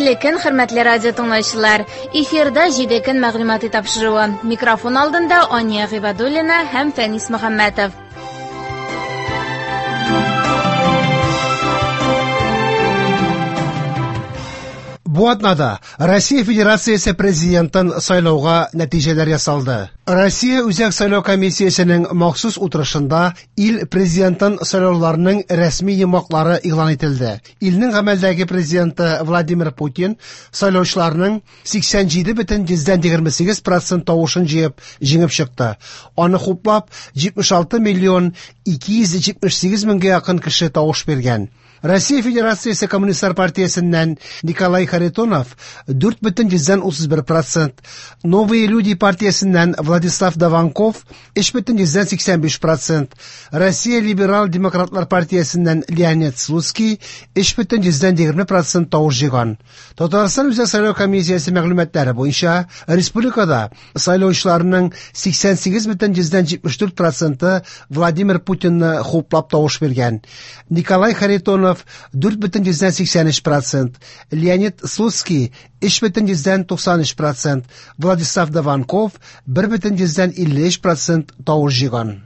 Хәерле көн, хөрмәтле радио тыңлаучылар. Эфирда 7 көн мәгълүмати тапшыруы. Микрофон алдында Ания Гыйбадуллина һәм Фәнис Мөхәммәтов. Бу атнада Россия Федерациясе президентын сайлауга нәтиҗәләр ясалды. Россия Үзәк сайлау комиссиясенең махсус утырышында ил президентын сайлауларының рәсми йомгаклары игълан ителде. Илнең гамәлдәге президенты Владимир Путин сайлаучыларның 87,28% тавышын җыеп җиңеп чыкты. Аны хуплап 76 миллион 278 меңгә якын кеше тавыш биргән. Россия Федерациясе Коммунистлар партиясеннән Николай Харитонов 4,31%, Новые люди партиясеннән Владислав Даванков 3,85%, Россия Либерал-демократлар партиясеннән Леонид Слуцкий 3,20% тавыш җыйган. Татарстан Үзәк сайлау комиссиясе мәгълүматлары буенча республикада сайлаучыларның 88,74% Владимир Путинны хуплап тавыш биргән. Николай Харитонов 4,83%, Леонид Слуцкий 3,93%, Владислав Даванков 1,53% тавыш җыйган.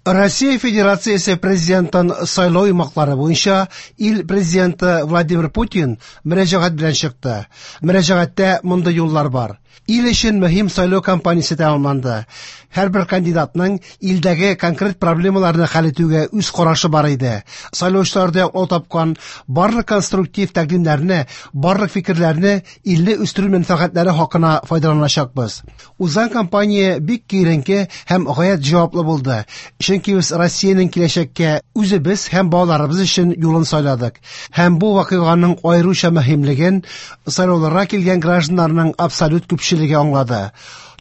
Россия Федерациясе президентын сайлау йомгаклары буенча ил президенты Владимир Путин мөрәҗәгать белән чыкты. Мөрәҗәгатьтә мондый юллар бар. Ил өчен мөһим сайлау кампаниясе тәмамланды. Һәрбер кандидатның илдәге конкрет проблемаларны хәл итүгә үз карашы бар иде. Сайлаучыларда яклау тапкан барлык конструктив тәкъдимнәрне, барлык фикерләрне илне үстерү мәнфәгатьләре хакына файдаланачакбыз. Узган кампания бик киеренке һәм гаять җаваплы булды. Чөнки без Россиянең киләчәккә үзебез һәм балаларыбыз өчен юлын сайладык. Һәм бу вакыйганың аеруча мөһимлеген сайлауларга килгән гражданнарның абсолют күпчелеге аңлады.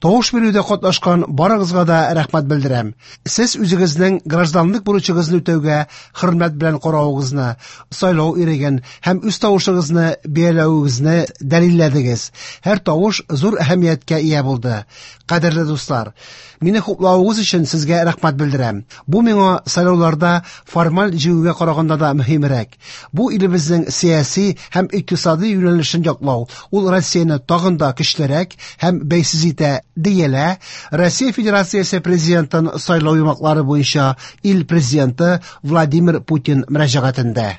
Тавыш бирүдә катнашкан барыгызга да рәхмәт белдерәм. Сез үзегезнең гражданлык бурычыгызны үтәүгә хөрмәт белән каравыгызны, сайлау иреген һәм үз тавышыгызны бәяләвегезне дәлилләдегез. Һәр тавыш зур әһәмияткә ия булды. Кадерле дуслар, мине хуплавыгыз өчен сезгә рәхмәт белдерәм. Бу миңа сайлауларда формаль җиңүгә караганда да мөһимрәк. Бу илебезнең сәяси һәм икътисади юнәлешен яклау, ул Россияне тагын да көчлерәк һәм бәйсез итә, диелә Россия Федерациясе президентын сайлау йомгаклары буенча ил президенты Владимир Путин мөрәҗәгатендә.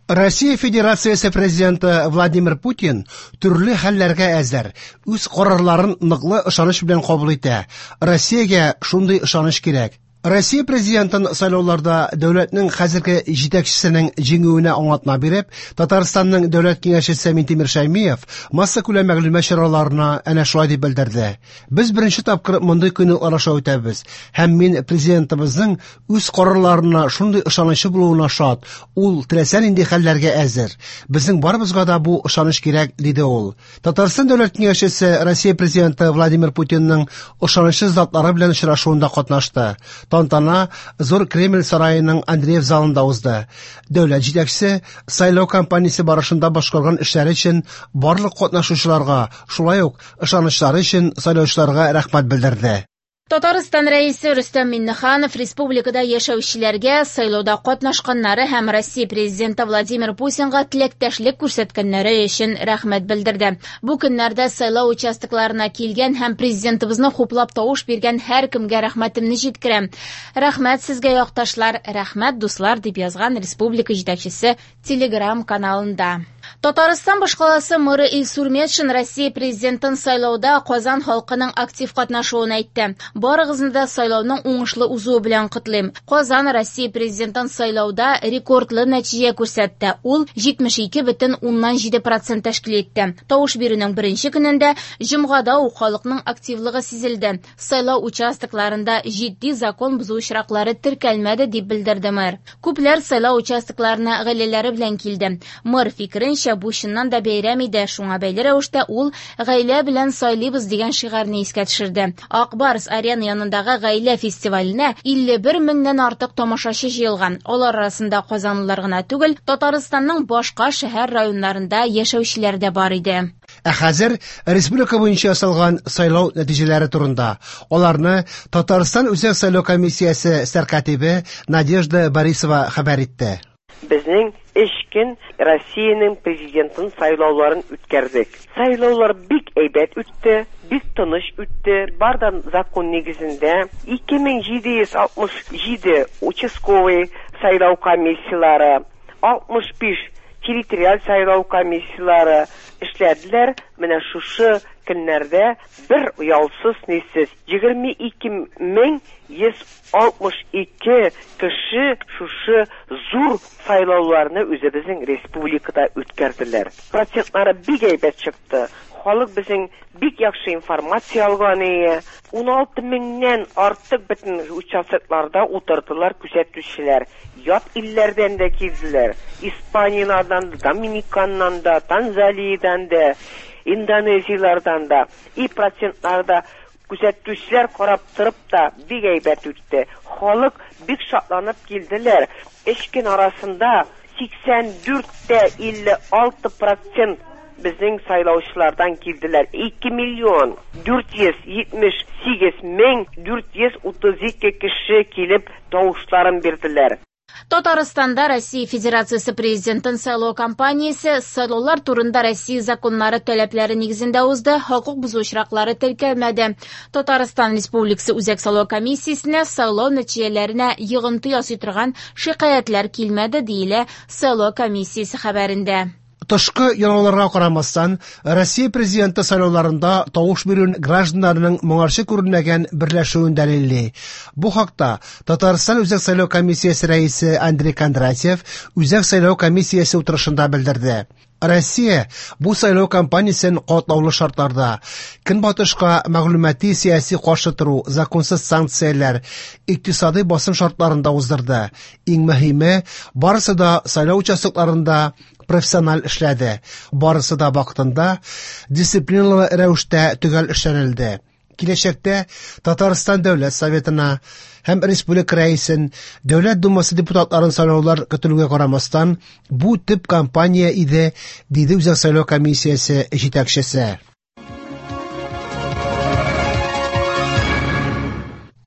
Россия Федерациясе президенты Владимир Путин төрле хәлләргә әзер, үз карарларын ныклы ышаныч белән кабул итә. Россиягә шундый ышаныч кирәк. Россия президентын сайлауларда дәүләтнең хәзерге җитәкчесенең җиңүенә аңлатма биреп, Татарстанның дәүләт киңәшчесе Минтимер Шәймиев массакүләм мәгълүмат чараларына әнә шулай дип белдерде. Без беренче тапкыр мондый кыенлыклар аша үтәбез һәм мин президентыбызның үз карарларына шундый ышанычы булуына шат. Ул теләсә нинди хәлләргә әзер. Безнең барыбызга да бу ышаныч кирәк, диде ул. Татарстан дәүләт киңәшчесе Россия президенты Владимир Путинның ышанычлы затлары белән очрашуында катнашты. Тантана Зур Кремль сараеның Андреев залында узды. Дәүләт җитәкчесе сайлау кампаниясе барышында башкарган эшләре өчен барлык катнашучыларга, шулай ук ышанычлары өчен сайлаучыларга рәхмәт белдерде. Татарстан Рәисе Рөстәм Миңнеханов республикада яшәүчеләргә сайлауда катнашканнары һәм Россия президенты Владимир Путинга теләктәшлек күрсәткәннәре өчен рәхмәт белдерде. Бу көннәрдә сайлау участокларына килгән һәм президентыбызны хуплап тавыш биргән һәркемгә рәхмәтемне җиткерәм. Рәхмәт сезгә, якташлар, рәхмәт, дуслар, дип язган республика җитәкчесе Телеграм каналында. Татарстан башкаласы мэры Илсур Метшин Россия президентын сайлауда Казан халкының актив катнашуын әйтте. Барыгызны да сайлауның уңышлы узуы белән котлыйм. Казан Россия президентын сайлауда рекордлы нәтиҗә күрсәтте. Ул 72,7% тәшкил итте. Тавыш бирүнең беренче көнендә җомгада ук халыкның активлыгы сизелде. Сайлау участокларында җитди закон бозу очраклары теркәлмәде, дип белдерде мэр. Күпләр сайлау участокларына гаиләләре белән килде. Мэр фикеренчә, бу чыннан да бәйрәм иде. Шуңа бәйле рәвештә ул гаилә белән сайлыйбыз дигән шигарьне искә төшерде. Ак Барс арена янындагы гаилә фестиваленә 51 меңнән артык тамашачы җыелган. Алар арасында казанлылар гына түгел, Татарстанның башка шәһәр районнарында яшәүчеләр дә бар иде. Ә хәзер республика буенча ясалган сайлау нәтиҗәләре турында. Аларны Татарстан Үзәк сайлау комиссиясе сәркатибе Надежда Борисова хәбәр итте. Безнең 3 көн Россиянең президентын сайлауларын үткәрдек. Сайлаулар бик әйбәт үтте, бик тыныч үтте. Бар да закон нигезендә 2767 участковый сайлау комиссиялары, 65 территориаль сайлау комиссиялары эшләделәр. Менә шушы көннәрдә бер ялсыз нисез 22162 кеше шушы зур сайлауларны үзебезнең республикада үткәрделәр. Процентлары бик әйбәт чыкты. Халык безнең бик яхшы информация алган ие. 16 меңнән артык бөтен участокларда утырдылар күзәтүчеләр. Ят илләрдән дә килделәр. Испаниядән дә, Доминиканнан да, Танзаниядән дә, Индонезияләрдән дә. И процентларда күзәтүчеләр карап торып та бик әйбәт үтте. Халык бик шатланып килделәр. Өч көн арасында 84,56% безнең сайлаучылардан килделәр. 2 миллион 478 мең 432 кеше килеп тавышларын бирделәр. Татарстанда Россия Федерациясе Президентын сайлау кампаниясе сайлаулар турында Россия законнары таләпләре нигезендә узды, хокук бозу очраклары теркәлмәде. Татарстан Республикасы Үзәк сайлау комиссиясенә сайлау нәтиҗәләренә йогынты ясый торган шикаятьләр килмәде, диелә сайлау комиссиясе хәбәрендә. Тышкы янауларга карамастан, Россия президенты сайлауларында тавыш бирүен гражданнарның моңарчы күренмәгән берләшүен дәлилли. Бу хакта Татарстан Үзәк сайлау комиссиясе рәисе Андрей Кондратьев Үзәк сайлау комиссиясе утырышында белдерде. Россия бу сайлау кампаниясен катлаулы шартларда, көнбатышка мәгълүмати сәяси каршы тору, законсыз санкцияләр, икътисадый басым шартларында уздырды. Иң мөһиме, барысы да сайлау участокларында профессиональ эшләде. Барысы да вакытында дисциплиналы рәвештә төгәл эшләнелде. Киләчәктә Татарстан Дәүләт Советына һәм Республика Рәисен, Дәүләт Думасы депутатларын сайлаулар көтелүгә карамастан, бу төп кампания иде, диде Үзәк сайлау комиссиясе җитәкчесе.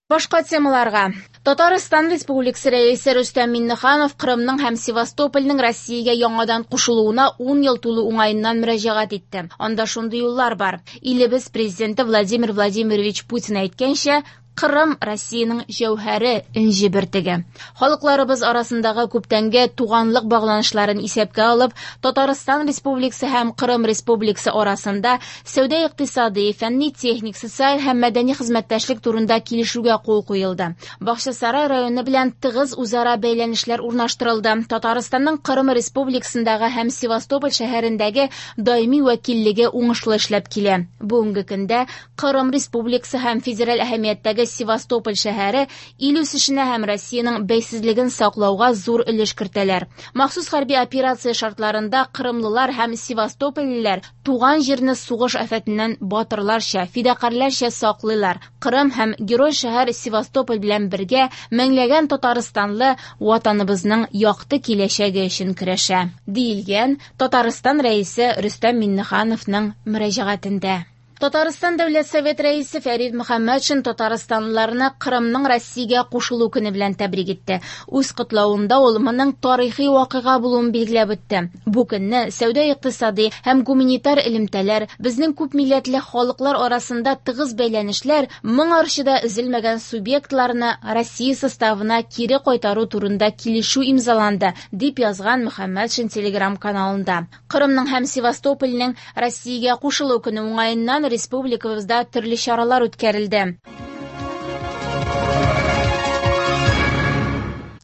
Башка темаларга. Татарстан Республикасы Рәисе Рөстәм Миңнеханов Кырымның һәм Севастопольнең Россиягә яңадан кушылуына 10 ел тулу уңаеннан мөрәҗәгать итте. Анда шундый юллар бар. Илебез президенты Владимир Владимирович Путин әйткәнчә, Кырым Россиянең җәүһәре, энҗе бөртеге. Халыкларыбыз арасындагы күптәнге туганлык багланышларын исәпкә алып, Татарстан Республикасы һәм Кырым Республикасы арасында сәүдә-икътисади, фәнни-техник, социаль һәм мәдәни хезмәттәшлек турында килешүгә кул куелды. Бакчасарай районы белән тыгыз үзара бәйләнешләр урнаштырылды. Татарстанның Кырым Республикасындагы һәм Севастополь шәһәрендәге даими вәкиллеге уңышлы эшләп килә. Бүгенге көндә Кырым Республикасы һәм федераль әһәмияттәге Севастополь шәһәре ил үсешенә һәм Россиянең бәйсезлеген саклауга зур өлеш кертәләр. Махсус хәрби операция шартларында кырымлылар һәм севастопольлеләр туган җирне сугыш афәтеннән батырларча, фидакарьләрчә саклыйлар. Кырым һәм герой шәһәр Севастополь белән бергә меңләгән татарстанлы ватаныбызның якты киләчәге өчен көрәшә, диелгән Татарстан Рәисе Рөстәм Миңнехановның мөрәҗәгатендә. Татарстан Дәүләт Совет Рәисе Фәрид Мөхәммәтшин татарстанлыларны Кырымның Россиягә кушылу көне белән тәбрик итте. Үз котлавында ул моның тарихи вакыйга булуын билгеләп үтте. Бу көнне сәүдә-икътисади һәм гуманитар элемтәләр, безнең күп милләтле халыклар арасында тыгыз бәйләнешләр моңарчы да өзелмәгән субъектларны Россия составына кире кайтару турында килешү имзаланды, дип язган Мөхәммәтшин Телеграм-каналында. Кырымның һәм Севастопольнең Россиягә кушылу көне уңаеннан республикабызда төрле чаралар үткәрелде.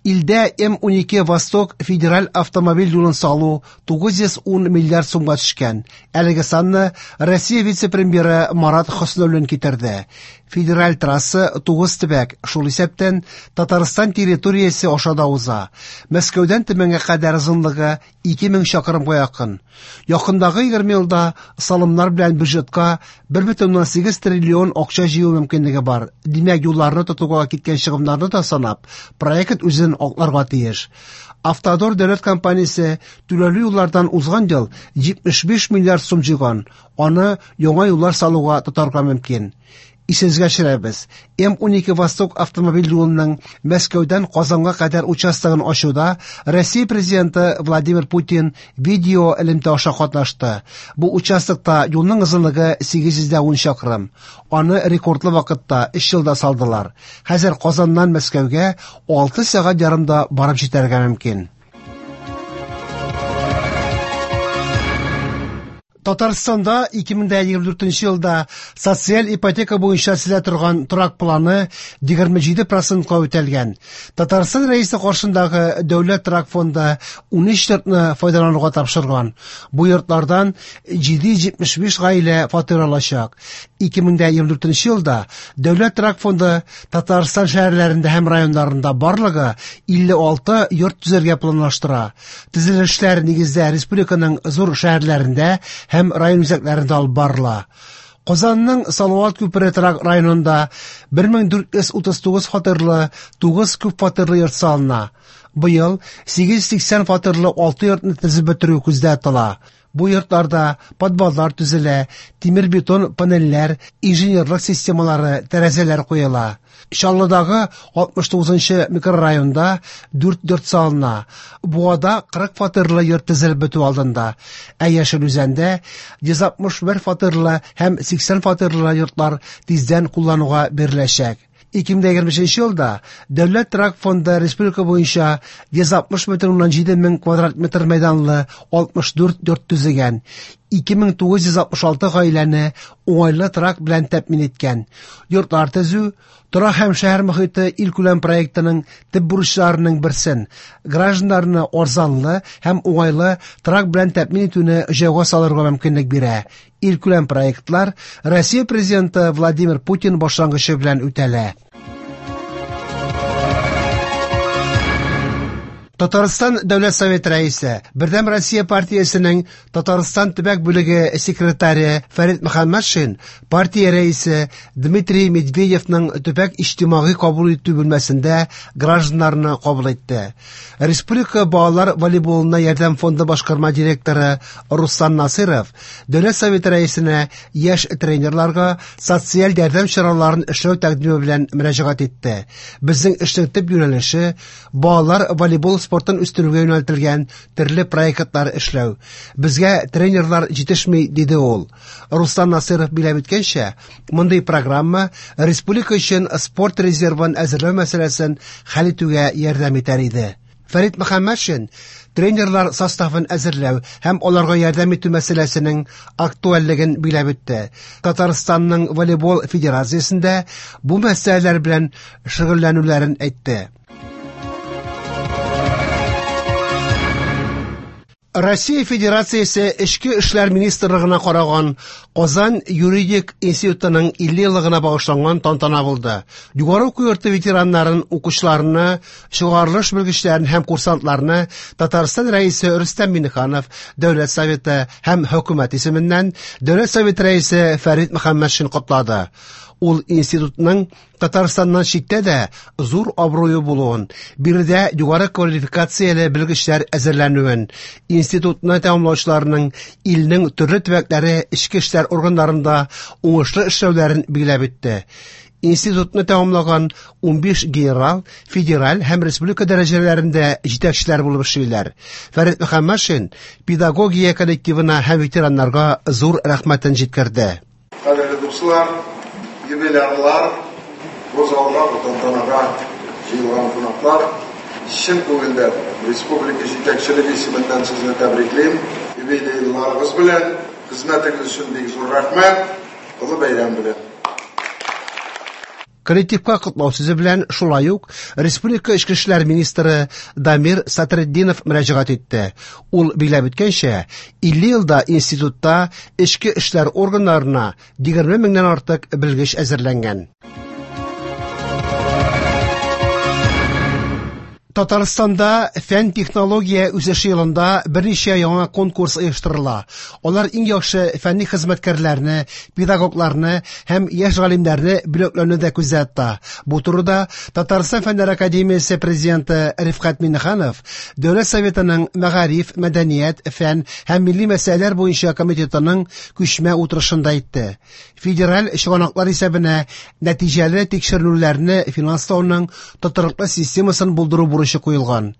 Илдә М12 Восток федераль автомобиль юлын салу 910 миллиард сумга төшкән. Әлеге санны Россия вице-премьеры Марат Хөснуллин китерде. Федераль трасса 9 төбәк, шул исәптән Татарстан территориясе аша да уза. Мәскәүдән Төмәнгә кадәр озынлыгы 2000 чакрымга якын. Якындагы 20 елда салымнар белән бюджетка 1,8 триллион акча җыю мөмкинлеге бар. Димәк, юлларны тотуга киткән чыгымнарны да санап, проект үзен акларга тиеш. Автодор дәүләт компаниясе түләүле юллардан узган ел 75 миллиард сум җыйган. Аны яңа юллар салуга тотарга мөмкин. Исегезгә төшерәбез, М-12 Восток автомобиль юлының Мәскәүдән Казанга кадәр участогын ачуда Россия Президенты Владимир Путин видео элемтә аша катнашты. Бу участокта юлның озынлыгы 810 чакрым. Аны рекордлы вакытта 3 елда салдылар. Хәзер Казаннан Мәскәүгә 6 сәгать ярымда барып җитәргә мөмкин. Татарстанда 2024 елда социаль ипотека буенча төзелә торган торак планы 27 процентка үтәлгән. Татарстан Рәисе каршындагы Дәүләт торак фонды 13 йортны файдалануга тапшырган. Бу йортлардан 775 гаилә фатир алачак. 2024 елда Дәүләт торак фонды Татарстан шәһәрләрендә һәм районнарында барлыгы 56 йорт төзергә планлаштыра. Төзелешләр нигездә республиканың зур шәһәрләрендә һәм район үзәкләрендә алып барыла. Казанның Салават күпере торак районында 1439 фатирлы 9 күп фатирлы йорт салына. Быел 880 фатирлы 6 йортны төзеп бетерү күздә тотыла. Бу йортларда подваллар төзелә, тимер-бетон панельләр, инженерлык системалары, тәрәзәләр куела. Чаллыдагы 69 нчы микрорайонда 4 йорт салына. Буада 40 фатирлы йорт төзелеп бетү алдында. Ә Яшел Үзәндә 161 фатирлы һәм 80 фатирлы йортлар тиздән куллануга биреләчәк. 2025 елда Дәүләт торак фонды республика буенча 160,7 мең квадрат метр мәйданлы 64 йорт төзегән, 2966 гаиләне уңайлы торак белән тәэмин иткән. Йортлар төзү Торак һәм шәһәр мохите илкүләм проектының төп бурычларының берсен гражданнарны арзанлы һәм уңайлы торак белән тәэмин итүне җайга салырга мөмкинлек бирә. Илкүләм проектлар Россия Президенты Владимир Путин башлангычы белән үтәлә. Татарстан Дәүләт Советы рәисе, Бердәм Россия партиясенең Татарстан төбәк бүлеге секретаре Фәрит Мөхәммәтшин партия рәисе Дмитрий Медведевның төбәк иҗтимагый кабул итү бүлмәсендә гражданнарны кабул итте. Республика балалар волейболына ярдәм фонды башкарма директоры Руслан Насыров Дәүләт Советы рәисенә яшь тренерларга социаль ярдәм чараларын эшләү тәкъдиме белән мөрәҗәгать итте. Безнең эшнең төп юнәлеше балалар волейбол спортын үстерүгә юнәлтелгән төрле проектлар эшләү. Безгә тренерлар җитешми, диде ул. Руслан Насыров биләп үткәнчә, мондый программа республика өчен спорт резервын әзерләү мәсьәләсен хәл итүгә ярдәм итәр иде. Фәрит Мөхәммәтшин тренерлар составын әзерләү һәм аларга ярдәм итү мәсьәләсенең актуальлеген биләп үтте. Татарстанның волейбол федерациясендә бу мәсьәләләр белән шөгыльләнүләрен әйтте. Россия Федерациясе Эчке эшләр министрлыгына караган Казан юридик институтының 50 еллыгына багышланган тантана булды. Югары уку йорты ветераннарын, укучыларны, чыгарылыш белгечләрен һәм курсантларны Татарстан Рәисе Рөстәм Миңнеханов, Дәүләт Советы һәм Хөкүмәт исеменнән Дәүләт Советы Рәисе Фәрит Мөхәммәтшин котлады. Ул институтның Татарстаннан читтә дә зур абруе булуын, биредә югары квалификацияле белгечләр әзерләнүен, институтны тәмамлаучыларның илнең төрле төбәкләре эчке эшләр органнарында уңышлы эшләүләрен билгеләп үтте. Институтны тәмамлаган 15 генерал федераль һәм республика дәрәҗәләрендә җитәкчеләр булып эшлиләр. Фәрит Мөхәммәтшин педагогия коллективына һәм ветераннарга зур рәхмәтен җиткерде. Кадерле дуслар, юбилярлар, бу залга, бу тантанага җыелган кунаклар, чын күңелдән республика җитәкчелеге исеменнән сезне тәбриклим. Юбилейларыгыз белән, хезмәтегез өчен бик зур рәхмәт. Олы бәйрәм белән. Коллективка котлау сүзе белән шулай ук республика эчке эшләр министры Дамир Сатретдинов мөрәҗәгать итте. Ул билгеләп үткәнчә, 50 елда институтта эчке эшләр органнарына 20 меңнән артык белгеч әзерләнгән. Татарстанда фән-технология үсеше елында берничә яңа конкурс оештырыла. Алар иң яхшы фәнни хезмәткәрләрне, педагогларны һәм яшь галимнәрне бүләкләүне дә күздә тота. Бу турыда Татарстан Фәннәр академиясе президенты Рифкать Миңнеханов Дәүләт Советының мәгариф, мәдәният, фән һәм милли мәсьәләләр буенча комитетының күчмә утырышында әйтте. Федераль чыганаклар исәбенә нәтиҗәле тикшеренүләрне финанслауның тотрыклы системасын булдыру бурычы куелган.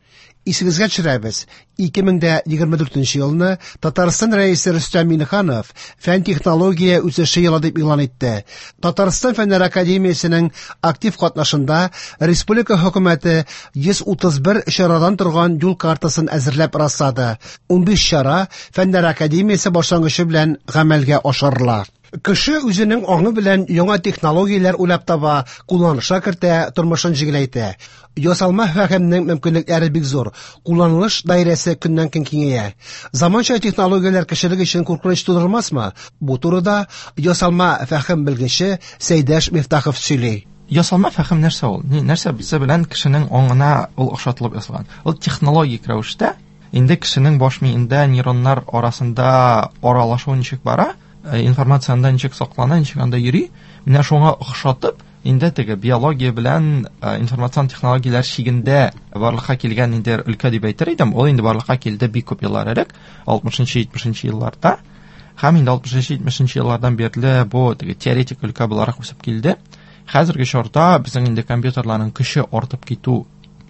Исегезгә төшерәбез, 2024 елны Татарстан Рәисе Рөстәм Миңнеханов фән-технология үсеше елы дип игълан итте. Татарстан Фәннәр академиясенең актив катнашында республика хөкүмәте 131 чарадан торган юл картасын әзерләп раслады. 15 чара Фәннәр академиясе башлангычы белән гамәлгә ашырыла. Кеше үзенең аңы белән яңа технологияләр уйлап таба, кулланышка кертә, тормышын җиңеләйтә. Ясалма фәһемнең мөмкинлекләре бик зур, кулланылыш даирәсе көннән-көн киңәя. Заманча технологияләр кешелек өчен куркыныч тудырмасмы? Бу турыда ясалма фәһем белгече Сәйдәш Мифтахов сөйли. Ясалма фәһем нәрсә ул? Нәрсә белән кешенең аңына ул охшатылып ясалган? Ул технологик рәвештә инде кешенең баш миендә нейроннар арасында аралашу ничек бара, информация анда ничек саклана, ничек анда йөри, менә шуңа охшатып, инде теге биология белән информацион технологияләр чигендә барлыкка килгән инде өлкә дип әйтер идем. Ул инде барлыкка килде бик күп еллар элек, 60-70 елларда. Һәм инде 60-70 еллардан бирле бу теге теоретик өлкә буларак үсеп килде. Хәзерге чорда безнең инде компьютерларның көче артып китү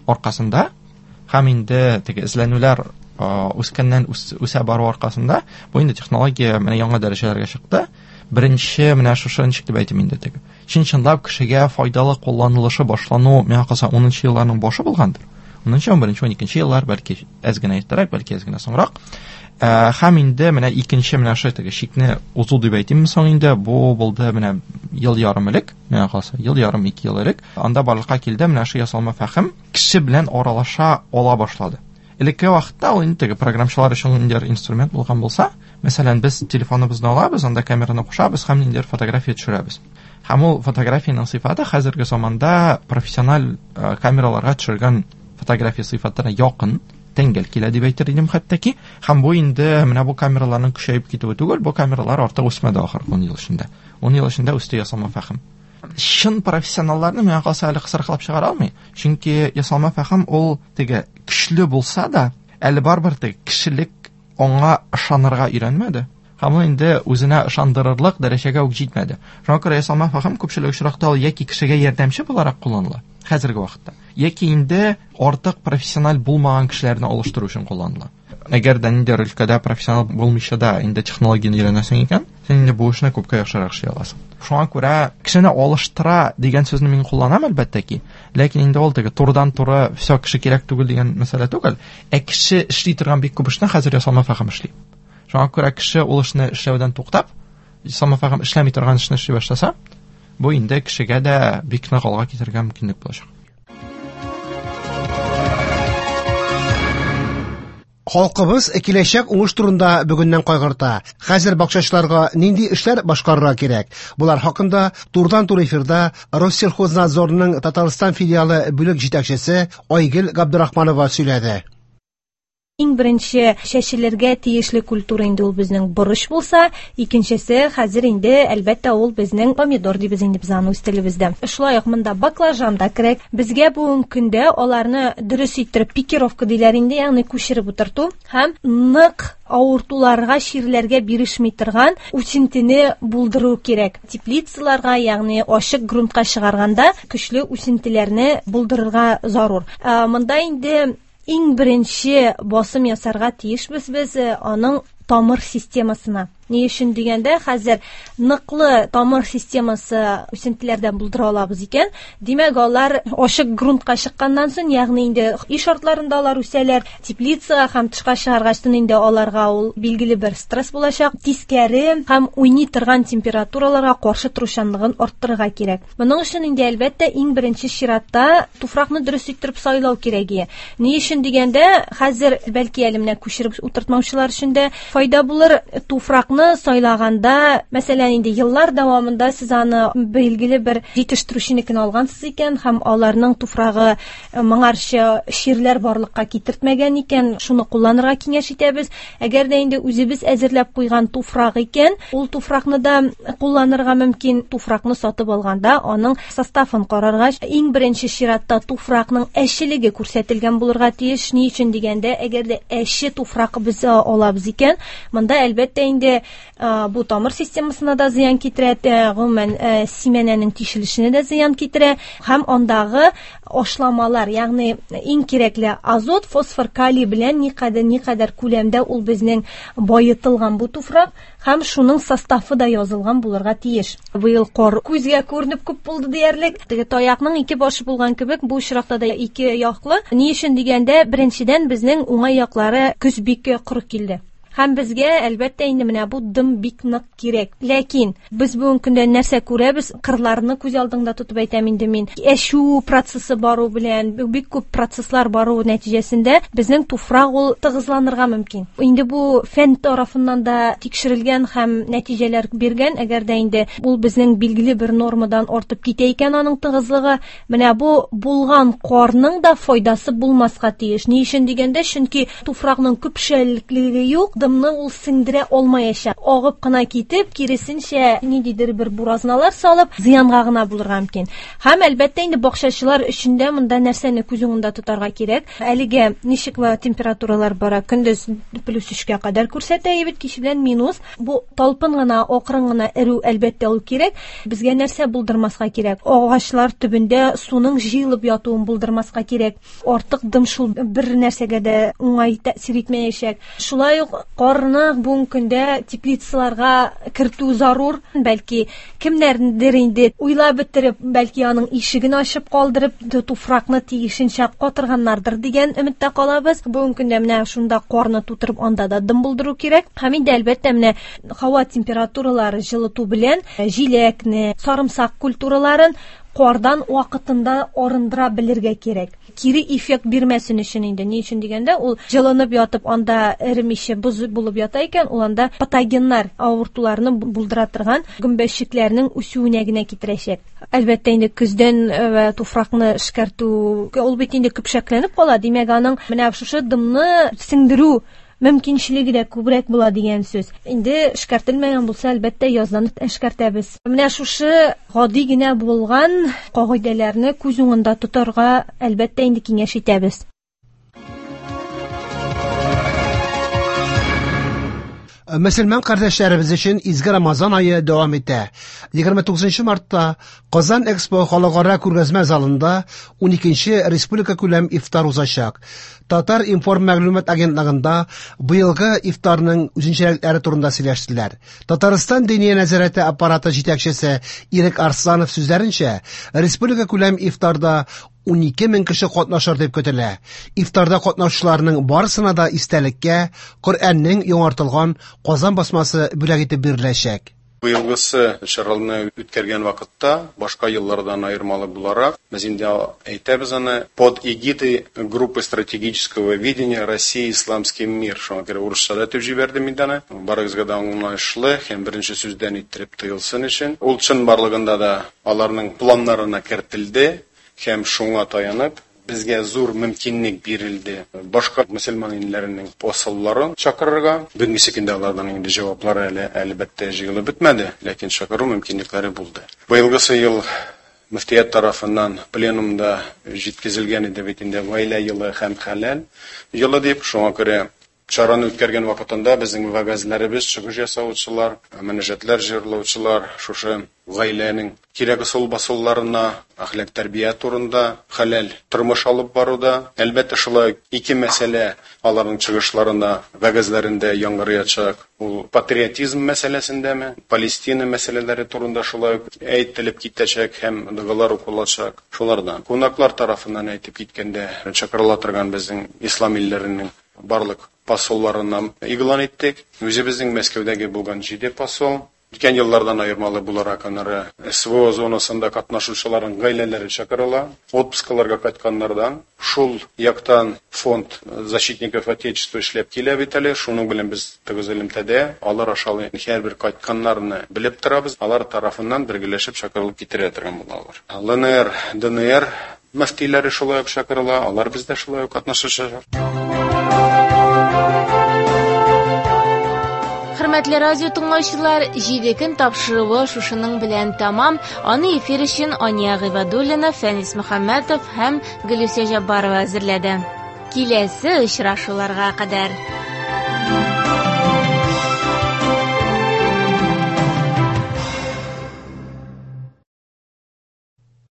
аркасында һәм инде теге эзләнүләр үскәннән үсә бару аркасында бу инде технология менә яңа дәрәҗәләргә чыкты. Беренче менә шушы ничек дип әйтим инде теге чын-чынлап кешегә файдалы кулланылышы башлану миңа калса 10 елларның башы булгандыр. 10, 11, 12 еллар, бәлки әз генә иртәрәк, бәлки әз генә соңрак. Һәм инде менә икенче менә шушы теге чикне узу дип әйтимме соң инде, бу булды менә ел ярым элек, миңа калса, ел ярым, 2 ел элек. Анда барлыкка килде менә шушы ясалма фәһем кеше белән аралаша ала башлады. Элекке вакытта ул инде теге программчылар өчен ниндидер инструмент булган булса, мәсәлән, без телефоныбызны алабыз, анда камераны кушабыз һәм ниндидер фотография төшерәбез. Һәм ул фотографиянең сыйфаты хәзерге заманда профессиональ камераларга төшергән фотография сыйфатына якын, тәңгәл килә дип әйтер идем хәтта ки. Һәм бу инде менә бу камераларның көчәеп китүе түгел, бу камералар артык үсмәде ахыргы 10 ел эчендә. 10 ел эчендә үсте ясалма фәһем. Чын профессионалларны миңа калса әле кысрыклап чыгара алмый. Чөнки ясалма фәһем ул теге көчле булса да, әле барыбер теге кешелек аңа ышанырга өйрәнмәде. Һәм ул инде үзенә ышандырырлык дәрәҗәгә үк җитмәде. Шуңа күрә ясалма фәһем күпчелек очракта ул яки кешегә ярдәмче буларак кулланыла хәзерге вакытта, яки инде артык профессиональ булмаган кешеләрне алыштыру өчен кулланыла. Әгәр дә ниндидер өлкәдә профессионал булмыйча да инде технологияне өйрәнәсең икән, син инде бу эшне күпкә яхшырак эшли аласың. Шуңа күрә кешене алыштыра дигән сүзне мин кулланам әлбәттә ки, ләкин инде ул теге турыдан-туры все кеше кирәк түгел дигән мәсьәлә түгел, ә кеше эшли торган бик күп эшне хәзер ясалма фәһем эшли. Шуңа күрә кеше ул эшне эшләүдән туктап, ясалма фәһем эшләми торган эшне эшли башласа, бу инде кешегә дә бик нык алга китәргә мөмкинлек булачак. Халкыбыз киләчәк уңыш турында бүгеннән кайгырта. Хәзер бакчачыларга нинди эшләр башкарырга кирәк? Булар хакында турыдан-туры эфирда Россельхознадзорның Татарстан филиалы бүлек җитәкчесе Айгөл Габдрахманова сөйләде. Иң беренче чәчелергә тиешле культура инде ул безнең борыч булса, икенчесе хәзер инде әлбәттә ул безнең помидор дибез инде без аны үз телебездә. Шулай ук монда баклажан да кирәк. Безгә бүгенге көндә аларны дөрес иттереп пикировка диләр инде, ягъни күчереп утырту һәм нык авыртуларга, чирләргә бирешми торган үсентене булдыру кирәк. Теплицаларга, ягъни ачык грунтка чыгарганда көчле үсентеләрне булдырырга зарур. Монда инде иң беренче басым ясарга тиешбез без аның тамыр системасына. Ни өчен дигәндә, хәзер ныклы тамыр системасы үсентеләрдән булдыра алабыз икән, димәк, алар ачык грунтка чыкканнан соң, ягъни инде өй шартларында алар үсәләр, теплицага һәм тышка чыгаргачтын инде аларга ул билгеле бер стресс булачак, тискәре һәм уйный торган температураларга каршы торучанлыгын арттырырга кирәк. Моның өчен инде әлбәттә иң беренче чиратта туфракны дөрес иттереп сайлау кирәк. Ни өчен дигәндә, хәзер бәлки әле менә күчереп утыртмаучылар өчен дә файда булыр. Туфракны сайлаганда, мәсәлән, инде еллар дәвамында сез аны билгеле бер җитештерүченекен алгансыз икән һәм аларның туфрагы моңарчы чирләр барлыкка китертмәгән икән, шуны кулланырга киңәш итәбез. Әгәр дә инде үзебез әзерләп куйган туфрак икән, ул туфракны да кулланырга мөмкин. Туфракны сатып алганда аның составын карарга, иң беренче чиратта туфракның әчелеге күрсәтелгән булырга тиеш. Ни өчен дигәндә, әгәр дә әче туфрак без алабыз икән, монда әлбәттә инде бу тамыр системасына да зыян китерә, гомумән симәнәнең тишелешенә дә зыян китерә һәм андагы ашламалар, ягъни иң кирәкле азот, фосфор, калий белән никадәр күләмдә ул безнең байытылган бу туфрак һәм шуның составы да язылган булырга тиеш. Быел кар күзгә күренеп күп булды диярлек. Теге таякның ике башы булган кебек, бу очракта да ике яклы. Ни өчен дигәндә, беренчедән безнең уңай яклары көз бик коры килде. Һәм безгә әлбәттә инде менә бу дым бик нык кирәк. Ләкин без бүгенге көндә нәрсә күрәбез? Кырларны күз алдыңда тотып әйтәм инде мин. Әчү процессы бару белән, бик күп процесслар бару нәтиҗәсендә безнең туфрак ул тыгызланырга мөмкин. Инде бу фән тарафыннан да тикшерелгән һәм нәтиҗәләр биргән. Әгәр дә инде ул безнең билгеле бер нормадан артып китә икән аның тыгызлыгы, менә бу булган карның да файдасы булмаска тиеш. Ни өчен дигәндә, чөнки туфракның көпшәлеклеге юк, дымны ул сеңдерә алмаячак. Агып кына китеп, киресенчә ниндидер бер буразналар салып, зыянга гына булырга мөмкин. Һәм әлбәттә инде бакчачылар өчен дә монда нәрсәне күз уңында тотарга кирәк. Әлегә ничек температуралар бара? Көндез плюс 3-кә кадәр күрсәтә бит, кич белән минус. Бу талпын гына, акрын гына эрү әлбәттә ул кирәк. Безгә нәрсә булдырмаска кирәк? Агачлар төбендә суның җыелып ятуын булдырмаска кирәк. Артык дым шул бер нәрсәгә дә уңай тәэсир итмәячәк. Шулай ук карны бүгенге көндә теплицаларга кертү зарур. Бәлки кемнәрдер инде уйлап бетереп, бәлки аның ишеген ачып калдырып, туфракны тиешенчә катырганнардыр дигән өметтә калабыз. Бүгенге көндә менә шунда карны тутырып, анда да дым булдыру кирәк. Һәм инде әлбәттә менә һава температуралары җылыту белән җиләкне, сарымсак культураларын кардан вакытында арындыра белергә кирәк. Кире эффект бирмәсен өчен инде. Ни өчен дигәндә, ул җылынып ятып, анда эремичә боз булып ята икән, ул анда патогеннар, авыртуларны булдыра торган гөмбәчекләрнең үсүенә генә китерәчәк. Әлбәттә инде көздән туфракны эшкәртү, ул бит инде көпшәкләнеп кала, димәк, аның менә шушы дымны сеңдерү мөмкинчелеге дә күбрәк була дигән сүз. Инде эшкәртелмәгән булса, әлбәттә, яздан эшкәртәбез. Менә шушы гади генә булган кагыйдәләрне күз уңында тотарга, әлбәттә, инде киңәш итәбез. Мөселман кардәшләребез өчен изге Рамазан ае дәвам итә. 29 мартта Казан Экспо халыкара күргәзмә залында 12нче республика күләм ифтар узачак. Татар информ мәгълүмат агентлыгында быелгы ифтарның үзенчәлекләре турында сөйләштеләр. Татарстан Диния нәзарәте аппараты җитәкчесе Ирек Арсланов сүзләренчә, республика күләм ифтарда 12 мең кеше катнашыр дип көтелә. Ифтарда катнашучыларның барысына да истәлеккә Коръәннең яңартылган Казан басмасы бүләк итеп биреләчәк. Быелгысы чараларны үткәргән вакытта, башка еллардан аермалы буларак, без инде әйтәбез аны под эгидой группы стратегического видения России исламский мир. Шуңа күрә урысча да әйтеп җибәрдем инде аны. Барыгызга да аңлаешлы һәм беренче сүздән иттереп тоелсын өчен. Ул чын барлыгында да аларның планнарына кертелде һәм шуңа таянып безгә зур мөмкинлек бирелде. Башка мөселман илләренең посолларын чакырырга. Бүгенге көндә алардан инде җаваплары әле әлбәттә җыелып бетмәде, ләкин чакыру мөмкинлекләре булды. Быелгысы ел мөфтият тарафыннан пленумда җиткезелгән иде бит инде гаилә елы һәм хәләл елы дип, шуңа күрә чараны үткәргән вакытында безнең вәгазьләребез, чыгыш ясаучылар, мөнәҗәтләр җырлаучылар шушы гаиләнең кирәк ысул басуларына, әхлак тәрбия турында, хәләл тормыш алып баруда. Әлбәттә, шулай ике мәсьәлә аларның чыгышларында, вәгазьләрендә яңгыраячак. Ул патриотизм мәсьәләсендәме, Палестина мәсьәләләре турында шулай ук әйтелеп китәчәк һәм догалар укылачак. Шулардан кунаклар тарафыннан әйтеп киткәндә, чакырыла торган безнең ислам илләренең барлык посолларына игълан иттек. Үзебезнең Мәскәүдәге булган 7 посол. Үткән еллардан аермалы буларак, аннары СВО зонасында катнашучыларның гаиләләре чакырыла, отпускаларга кайтканнардан. Шул яктан фонд защитников Отечества эшләп килә бит әле, шуның белән без тыгыз элемтәдә, алар аша һәрбер кайтканнарны белеп торабыз, алар тарафыннан бергәләшеп чакырылып китерә торган булалар. ЛНР, ДНР мөфтиләре шулай ук чакырыла, алар бездә шулай ук катнашачак. Хөрмәтле радио тыңлаучылар, 7 көн тапшыруы шушының белән тәмам. Аны эфир өчен Ания Гыйбадуллина, Фәнис Мөхәммәтов һәм Гөлүсә Җаббарова әзерләде. Киләсе очрашуларга кадәр.